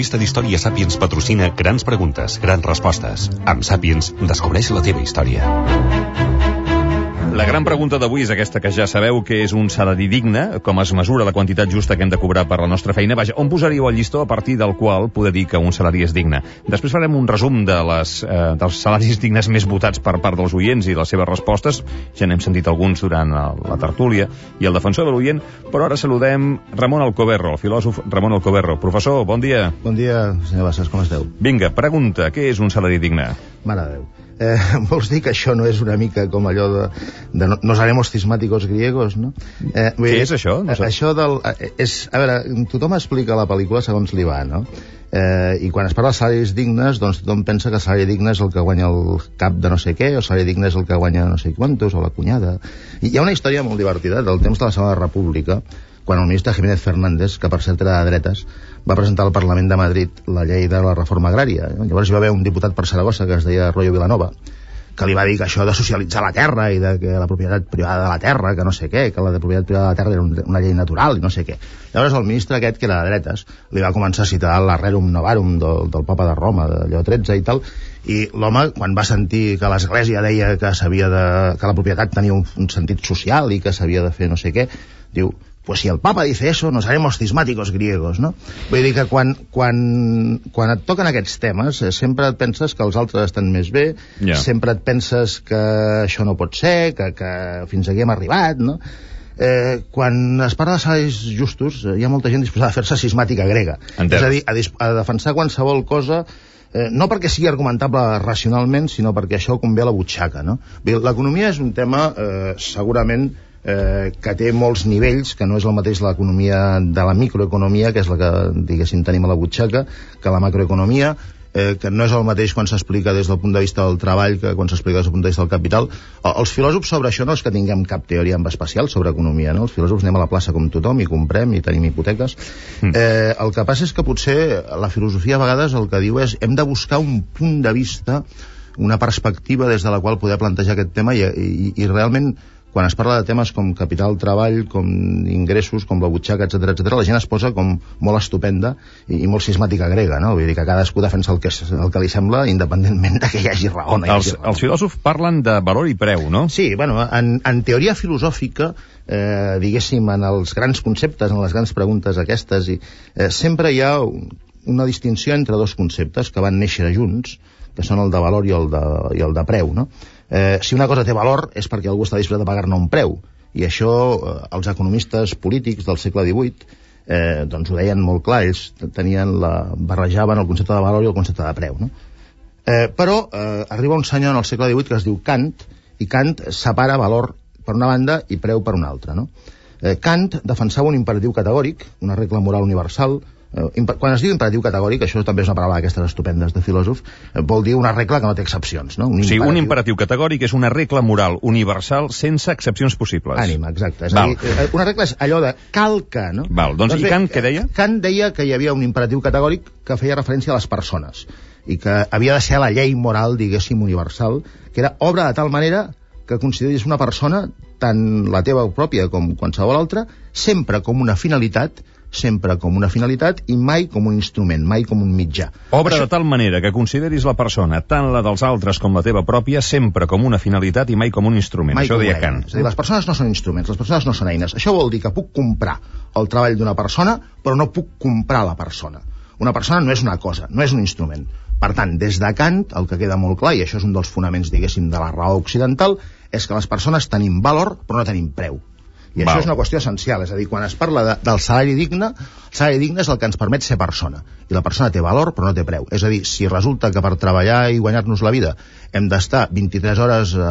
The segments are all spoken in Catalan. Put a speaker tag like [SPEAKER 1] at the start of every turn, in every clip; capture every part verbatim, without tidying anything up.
[SPEAKER 1] revista d'història Sàpiens patrocina Grans Preguntes, Grans Respostes. Amb Sàpiens, descobreix la teva història.
[SPEAKER 2] La gran pregunta d'avui és aquesta que ja sabeu, que és un salari digne, com es mesura la quantitat justa que hem de cobrar per la nostra feina. Vaja, on posaríeu el llistó a partir del qual poder dir que un salari és digne? Després farem un resum de les, eh, dels salaris dignes més votats per part dels oients i les seves respostes. Ja n'hem sentit alguns durant la, la tertúlia i el defensor de l'oient, però ara saludem Ramon Alcoberro, el filòsof Ramon Alcoberro. Professor, bon dia.
[SPEAKER 3] Bon dia, senyor Bassas, com esteu?
[SPEAKER 2] Vinga, pregunta, què és un salari digne?
[SPEAKER 3] Mare de Déu. Eh, vols dir que això no és una mica com allò de, de no, nos haremos cismáticos griegos, no?
[SPEAKER 2] Eh, Què dir, és això? No sé.
[SPEAKER 3] Això del... És, a veure, tothom explica la pel·lícula segons li va, no? Eh, I quan es parla de salaris dignes, doncs tothom pensa que el salari digne és el que guanya el cap de no sé què, o el salari digne és el que guanya no sé quantos, o la cunyada. I hi ha una història molt divertida del temps de la Segona República, quan el ministre Jiménez Fernández, que per cert era de dretes, va presentar al Parlament de Madrid la llei de la reforma agrària. Llavors hi va haver un diputat per Saragossa que es deia Royo Vilanova, que li va dir que això de socialitzar la terra i de que la propietat privada de la terra, que no sé què, que la de propietat privada de la terra era una llei natural i no sé què. Llavors el ministre aquest, que era de dretes, li va començar a citar la Rerum Novarum del, del Papa de Roma, de Lleó tretze i tal, i l'home, quan va sentir que l'Església deia que s'havia de, que la propietat tenia un, un sentit social i que s'havia de fer no sé què, diu, pues si el Papa dice eso, nos haremos cismáticos griegos, no? Vull dir que quan, quan, quan et toquen aquests temes, eh, sempre et penses que els altres estan més bé, yeah. sempre et penses que això no pot ser, que, que fins aquí hem arribat, no? Eh, quan es parla de salaris justos, eh, hi ha molta gent disposada a fer-se cismàtica grega.
[SPEAKER 2] Entens.
[SPEAKER 3] És a dir, a, a defensar qualsevol cosa, eh, no perquè sigui argumentable racionalment, sinó perquè això convé a la butxaca, no? L'economia és un tema, eh, segurament, Eh, que té molts nivells, que no és el mateix l'economia de la microeconomia, que és la que, diguéssim, tenim a la butxaca, que la macroeconomia, eh, que no és el mateix quan s'explica des del punt de vista del treball que quan s'explica des del punt de vista del capital. Els filòsofs sobre això no és que tinguem cap teoria en especial sobre economia, no? Els filòsofs anem a la plaça com tothom i comprem i tenim hipoteques. Mm. Eh, el que passa és que potser la filosofia a vegades el que diu és hem de buscar un punt de vista, una perspectiva des de la qual poder plantejar aquest tema i, i, i realment quan es parla de temes com capital, treball, com ingressos, com la butxaca, etcètera, etcètera, la gent es posa com molt estupenda i, i molt cismàtica grega, no? Vull dir que cadascú defensa el que, el que li sembla, independentment de que hi hagi raó. No hi hagi
[SPEAKER 2] els, raó. Els filòsofs parlen de valor i preu, no?
[SPEAKER 3] Sí, bueno, en, en teoria filosòfica, eh, diguéssim, en els grans conceptes, en les grans preguntes aquestes, i, eh, sempre hi ha una distinció entre dos conceptes que van néixer junts, que són el de valor i el de, i el de preu, no? Eh, si una cosa té valor és perquè algú està disposat a pagar-ne un preu, i això eh, els economistes polítics del segle divuit eh, doncs ho deien molt clar, ells tenien la, barrejaven el concepte de valor i el concepte de preu, no? Eh, però eh, arriba un senyor en el segle divuit que es diu Kant, i Kant separa valor per una banda i preu per una altra, no? Eh, Kant defensava un imperatiu categòric, una regla moral universal. Quan es diu imperatiu categòric, això també és una paraula d'aquestes estupendes de filòsof, vol dir una regla que no té excepcions, no?
[SPEAKER 2] Un imperatiu... Sí, un imperatiu categòric és una regla moral universal sense excepcions possibles.
[SPEAKER 3] Ànima, exacte. És a dir, una regla és allò de cal que, no?
[SPEAKER 2] Val, doncs, doncs bé, i Kant què deia?
[SPEAKER 3] Kant deia que hi havia un imperatiu categòric que feia referència a les persones i que havia de ser la llei moral, diguéssim, universal, que era obra de tal manera que consideris una persona, tant la teva pròpia com qualsevol altra, sempre com una finalitat sempre com una finalitat i mai com un instrument, mai com un mitjà.
[SPEAKER 2] Obra Això... de tal manera que consideris la persona, tant la dels altres com la teva pròpia, sempre com una finalitat i mai com un instrument.
[SPEAKER 3] Mai
[SPEAKER 2] Això deia Kant.
[SPEAKER 3] És a dir, les persones no són instruments, les persones no són eines. Això vol dir que puc comprar el treball d'una persona, però no puc comprar la persona. Una persona no és una cosa, no és un instrument. Per tant, des de Kant, el que queda molt clar, i això és un dels fonaments, diguéssim, de la raó occidental, és que les persones tenim valor, però no tenim preu. I Val. Això és una qüestió essencial, és a dir, quan es parla de, del salari digne, el salari digne és el que ens permet ser persona, i la persona té valor però no té preu. És a dir, si resulta que per treballar i guanyar-nos la vida hem d'estar vint-i-tres hores eh,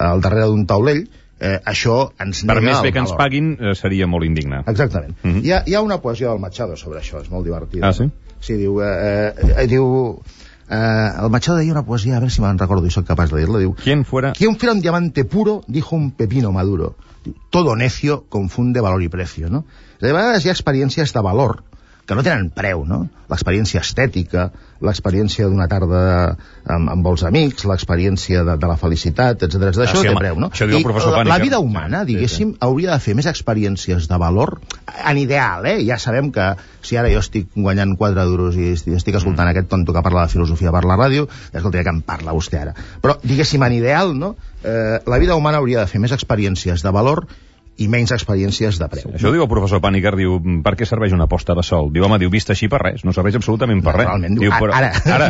[SPEAKER 3] al darrere d'un taulell, eh, això ens nega
[SPEAKER 2] per més bé que
[SPEAKER 3] valor.
[SPEAKER 2] Ens paguin eh, seria molt indigne.
[SPEAKER 3] Exactament.
[SPEAKER 2] Mm -hmm.
[SPEAKER 3] hi, ha, hi ha una poesia del Machado sobre això, és molt divertida.
[SPEAKER 2] Ah, sí?
[SPEAKER 3] Sí, diu... Eh, eh, diu eh, el Machado deia una poesia, a veure si me'n recordo i soc capaç de dir-la, diu...
[SPEAKER 2] ¿Quién fuera?
[SPEAKER 3] ¿Quién fuera un diamante puro? Dijo un pepino maduro. Todo necio confunde valor y precio, no? De vegades hi ha experiències de valor que no tenen preu, no? L'experiència estètica, l'experiència d'una tarda amb, amb els amics, l'experiència de, de la felicitat, etcètera. Ah, això
[SPEAKER 2] sí,
[SPEAKER 3] té
[SPEAKER 2] home,
[SPEAKER 3] preu, no?
[SPEAKER 2] Això diu el professor
[SPEAKER 3] la,
[SPEAKER 2] Pàniker.
[SPEAKER 3] la vida humana, diguéssim, sí, sí. hauria de fer més experiències de valor, en ideal, eh? Ja sabem que si ara jo estic guanyant quatre duros i estic escoltant mm. aquest tonto que parla de filosofia per la ràdio, escolta, ja que em parla vostè ara. Però, diguéssim, en ideal, no? Eh, la vida humana hauria de fer més experiències de valor i menys experiències de preu.
[SPEAKER 2] Sí, això diu el professor Pàniker, diu, per què serveix una posta de sol? Diu, home, diu, vist així per res, no serveix absolutament per res.
[SPEAKER 3] Realment,
[SPEAKER 2] diu, però,
[SPEAKER 3] ara...
[SPEAKER 2] ara,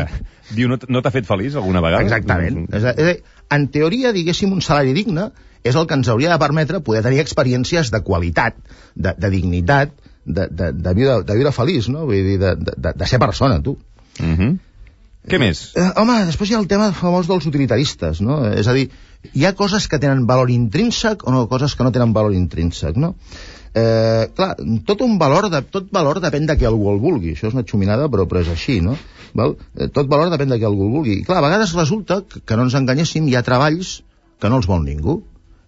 [SPEAKER 2] diu, no, no t'ha fet feliç alguna vegada?
[SPEAKER 3] Exactament. És a dir, en teoria, diguéssim, un salari digne és el que ens hauria de permetre poder tenir experiències de qualitat, de, de dignitat, de, de, de, viure, de viure feliç, no? Vull dir, de, de, de ser persona, tu.
[SPEAKER 2] Mhm. Uh-huh. Què més?
[SPEAKER 3] Eh, home, després hi ha el tema famós dels utilitaristes, no? És a dir, hi ha coses que tenen valor intrínsec o no, coses que no tenen valor intrínsec, no? Eh, clar, tot un valor, de, tot valor depèn de qui algú el vulgui. Això és una xuminada, però, però és així, no? Val? Eh, tot valor depèn de qui algú el vulgui. I clar, a vegades resulta que, que no ens enganyéssim, hi ha treballs que no els vol ningú.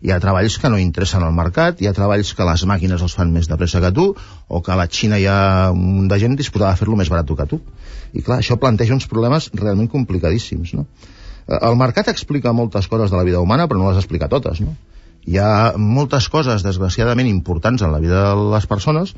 [SPEAKER 3] Hi ha treballs que no interessen al mercat, hi ha treballs que les màquines els fan més de pressa que tu, o que a la Xina hi ha un munt de gent disposada a fer-lo més barat que tu. I clar, això planteja uns problemes realment complicadíssims, no? El mercat explica moltes coses de la vida humana, però no les explica totes, no? Hi ha moltes coses, desgraciadament, importants en la vida de les persones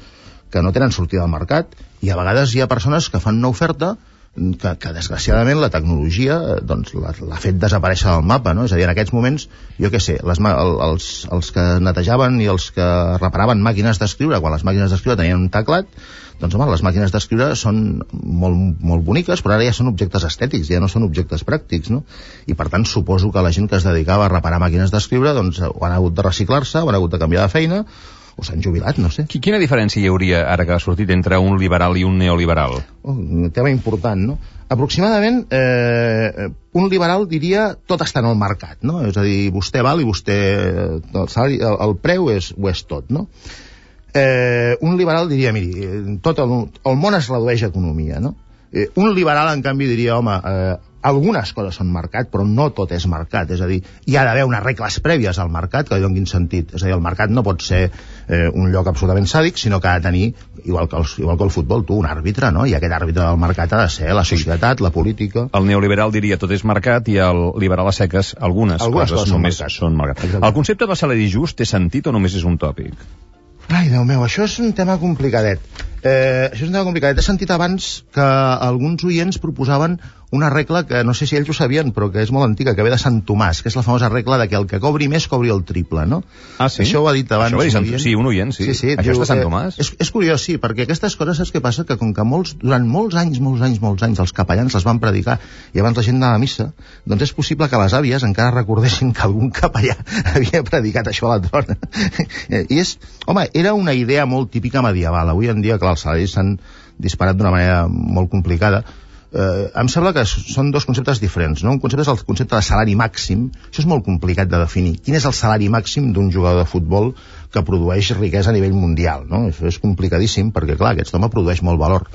[SPEAKER 3] que no tenen sortida al mercat, i a vegades hi ha persones que fan una oferta que, que desgraciadament la tecnologia doncs, l'ha fet desaparèixer del mapa, no? És a dir, en aquests moments, jo què sé, les, els, els que netejaven i els que reparaven màquines d'escriure, quan les màquines d'escriure tenien un teclat, doncs home, les màquines d'escriure són molt, molt boniques, però ara ja són objectes estètics, ja no són objectes pràctics, no? I per tant suposo que la gent que es dedicava a reparar màquines d'escriure doncs ho han hagut de reciclar-se, ho han hagut de canviar de feina, o s'han jubilat, no sé.
[SPEAKER 2] Quina diferència hi hauria, ara que ha sortit, entre un liberal i un neoliberal?
[SPEAKER 3] Oh, un tema important, no? Aproximadament, eh, un liberal diria tot està en el mercat, no? És a dir, vostè val i vostè... El, salari, el, el preu és, ho és tot, no? Eh, un liberal diria, miri, tot el, el món es redueix a economia, no? Eh, un liberal, en canvi, diria, home, eh, algunes coses són mercat, però no tot és mercat. És a dir, hi ha d'haver unes regles prèvies al mercat que li donin sentit. És a dir, el mercat no pot ser eh, un lloc absolutament sàdic, sinó que ha de tenir, igual que, el, igual que el futbol, tu, un àrbitre, no? I aquest àrbitre del mercat ha de ser la societat, la política...
[SPEAKER 2] El neoliberal diria tot és mercat i el liberal a seques algunes,
[SPEAKER 3] algunes
[SPEAKER 2] coses,
[SPEAKER 3] coses
[SPEAKER 2] només
[SPEAKER 3] mercat.
[SPEAKER 2] són mercat.
[SPEAKER 3] Exacte.
[SPEAKER 2] El concepte de salari just té sentit o només és un tòpic?
[SPEAKER 3] Ai, Déu meu, això és un tema complicadet. Eh, això és un tema complicadet. He sentit abans que alguns oients proposaven una regla que no sé si ells ho sabien, però que és molt antiga, que ve de Sant Tomàs, que és la famosa regla de que el que cobri més cobri el triple, no?
[SPEAKER 2] Ah, sí?
[SPEAKER 3] Això ho ha dit abans
[SPEAKER 2] Això ho ha dit
[SPEAKER 3] un
[SPEAKER 2] Sant...
[SPEAKER 3] oient.
[SPEAKER 2] Sí, un oient, sí.
[SPEAKER 3] sí, sí
[SPEAKER 2] Això
[SPEAKER 3] diu,
[SPEAKER 2] és de Sant
[SPEAKER 3] eh,
[SPEAKER 2] Tomàs?
[SPEAKER 3] És, és curiós, sí, perquè aquestes coses saps què passa? Que com que molts, durant molts anys, molts anys, molts anys, els capellans les van predicar i abans la gent anava a missa, doncs és possible que les àvies encara recordessin que algun capellà havia predicat això a la trona. I és, home, era una idea molt típica medieval. Avui en dia, clar, els salaris s'han disparat d'una manera molt complicada. Eh, em sembla que són dos conceptes diferents, no? Un concepte és el concepte de salari màxim. Això és molt complicat de definir. Quin és el salari màxim d'un jugador de futbol que produeix riquesa a nivell mundial, no? Això és complicadíssim perquè, clar, aquest home produeix molt valor.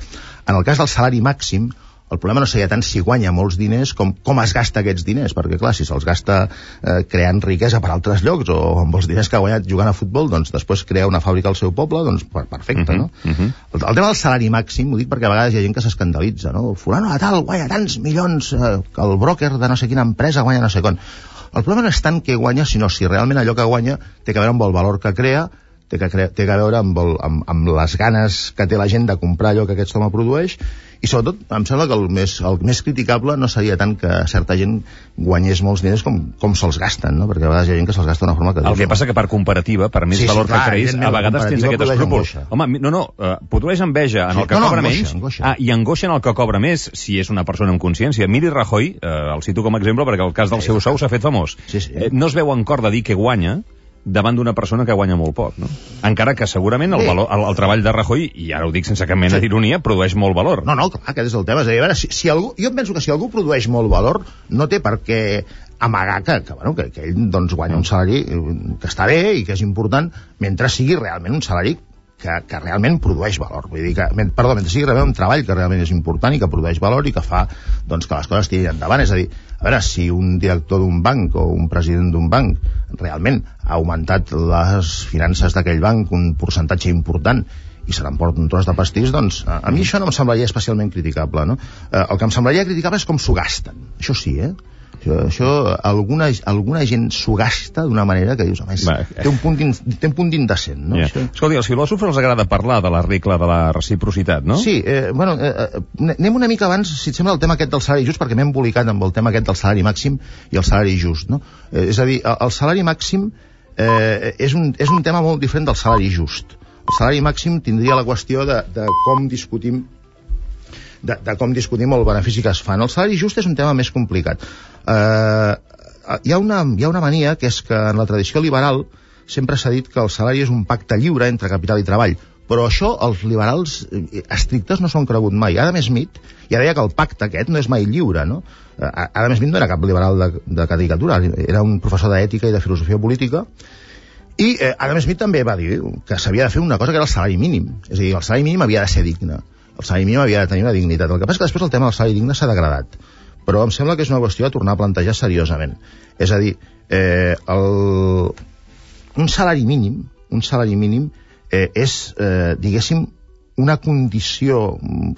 [SPEAKER 3] En el cas del salari màxim, el problema no seria tant si guanya molts diners com com es gasta aquests diners, perquè clar, si se'ls gasta eh, creant riquesa per altres llocs o amb els diners que ha guanyat jugant a futbol, doncs després crea una fàbrica al seu poble, doncs perfecte, uh-huh, no? Uh-huh. El, el tema del salari màxim, ho dic perquè a vegades hi ha gent que s'escandalitza, no? Fulano de tal guanya tants milions, eh, que el broker de no sé quina empresa guanya no sé quan. El problema no és tant què guanya, sinó si realment allò que guanya té que veure amb el valor que crea, té que, crea, té que veure amb, el, amb, amb les ganes que té la gent de comprar allò que aquest home produeix. I sobretot, em sembla que el més, el més criticable no seria tant que certa gent guanyés molts diners com, com se'ls gasten, no? Perquè a vegades hi ha gent que se'ls gasta d'una forma que...
[SPEAKER 2] El que passa que per comparativa, per més
[SPEAKER 3] sí,
[SPEAKER 2] valor
[SPEAKER 3] sí, clar,
[SPEAKER 2] que creïs, a vegades tens aquest escrúpol. Home, no, no, uh, produeix enveja en sí, el que
[SPEAKER 3] no,
[SPEAKER 2] cobra
[SPEAKER 3] no,
[SPEAKER 2] menys
[SPEAKER 3] angoixa, angoixa.
[SPEAKER 2] Ah, i angoixa en el que cobra més, si és una persona amb consciència. Miri Rajoy, uh, el cito com a exemple perquè el cas del sí, seu sou s'ha fet famós.
[SPEAKER 3] Sí, sí.
[SPEAKER 2] Eh, no es veu en cor de dir que guanya davant d'una persona que guanya molt poc, no? Encara que segurament el, valor, el, el treball de Rajoy, i ara ho dic sense cap mena sí. d'ironia, produeix molt valor.
[SPEAKER 3] No, no, clar, aquest és el tema. És a dir, a veure, si, si algú, jo penso que si algú produeix molt valor, no té per què amagar que, que, bueno, que, que ell doncs, guanya un salari que està bé i que és important, mentre sigui realment un salari que, que realment produeix valor. Vull dir que, perdó, mentre sigui realment un treball que realment és important i que produeix valor i que fa doncs, que les coses tirin endavant. És a dir, a veure, si un director d'un banc o un president d'un banc realment ha augmentat les finances d'aquell banc un percentatge important i se n'emporta un tros de pastís, doncs a, a mi això no em semblaria especialment criticable, no? Eh, el que em semblaria criticable és com s'ho gasten, això sí, eh? Això, això alguna, alguna gent s'ho gasta d'una manera que dius, home, és, té un punt in, té un punt d'indecent, no?
[SPEAKER 2] Yeah.
[SPEAKER 3] Això...
[SPEAKER 2] Escolti, als filòsofs els agrada parlar de la regla de la reciprocitat, no?
[SPEAKER 3] Sí, eh, bueno, eh, anem una mica abans, si et sembla, el tema aquest del salari just, perquè m'he embolicat amb el tema aquest del salari màxim i el salari just, no? Eh, és a dir, el, el salari màxim eh, és, un, és un tema molt diferent del salari just. El salari màxim tindria la qüestió de, de com discutim De, de com discutim el benefici que es fan. El salari just és un tema més complicat. Eh, hi, ha una, hi ha una mania que és que en la tradició liberal sempre s'ha dit que el salari és un pacte lliure entre capital i treball, però això els liberals estrictes no s'ho han cregut mai. Adam Smith ja deia que el pacte aquest no és mai lliure, no? Adam Smith no era cap liberal de, de caricatura, era un professor d'ètica i de filosofia política, i eh, Adam Smith també va dir que s'havia de fer una cosa que era el salari mínim, és a dir, el salari mínim havia de ser digne, el salari mínim havia de tenir una dignitat. El que passa és que després el tema del salari digne s'ha degradat, però em sembla que és una qüestió de tornar a plantejar seriosament. És a dir, eh, el... un salari mínim, un salari mínim eh, és, eh, diguéssim, una condició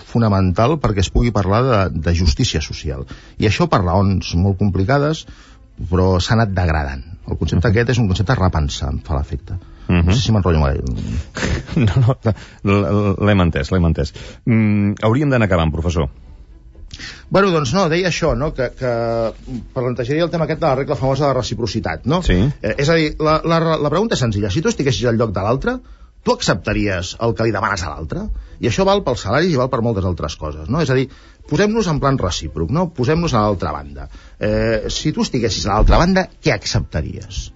[SPEAKER 3] fonamental perquè es pugui parlar de, de justícia social. I això per raons molt complicades, però s'ha anat degradant. El concepte uh-huh. aquest és un concepte a repensar, em fa l'efecte. Uh-huh. No sé si m'enrotllo molt.
[SPEAKER 2] No, no, l'hem entès, l'hem entès. Mm, hauríem d'anar acabant, professor.
[SPEAKER 3] Bueno, doncs no, deia això, no? que, que plantejaria el tema aquest de la regla famosa de reciprocitat, no?
[SPEAKER 2] Sí.
[SPEAKER 3] Eh, és a dir, la, la, la pregunta és senzilla. Si tu estiguessis al lloc de l'altre, tu acceptaries el que li demanes a l'altre? I això val pels salaris i val per moltes altres coses, no? És a dir, posem-nos en plan recíproc, no? Posem-nos a l'altra banda. Eh, si tu estiguessis a l'altra banda, què acceptaries?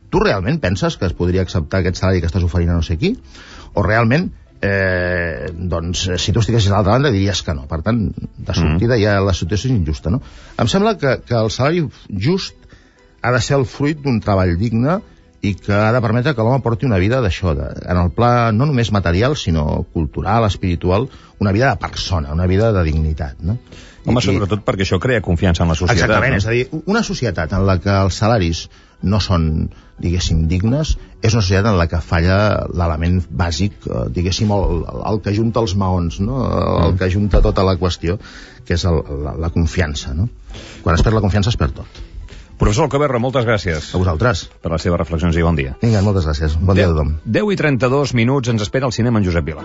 [SPEAKER 3] Tu realment penses que es podria acceptar aquest salari que estàs oferint a no sé qui? O realment, eh, doncs, si tu estiguessis a l'altra banda, diries que no. Per tant, de sortida ja la situació és injusta, no? Em sembla que, que el salari just ha de ser el fruit d'un treball digne i que ha de permetre que l'home porti una vida d'això, de, en el pla no només material, sinó cultural, espiritual, una vida de persona, una vida de dignitat, no?
[SPEAKER 2] Home,
[SPEAKER 3] I,
[SPEAKER 2] sobretot perquè això crea confiança en la societat.
[SPEAKER 3] Exactament,
[SPEAKER 2] no?
[SPEAKER 3] És a dir, una societat en la que els salaris no són, diguéssim, dignes, és una societat en la que falla l'element bàsic, eh, diguéssim, el, el que junta els maons, no? El mm. que junta tota la qüestió, que és el, la, la confiança, no? Quan es perd la confiança es perd tot.
[SPEAKER 2] Professor Alcoberra, moltes gràcies.
[SPEAKER 3] A vosaltres.
[SPEAKER 2] Per les seves reflexions i bon dia.
[SPEAKER 3] Vinga, moltes gràcies. Bon dia a tothom.
[SPEAKER 2] deu i trenta-dos minuts, ens espera el cinema en Josep Vila.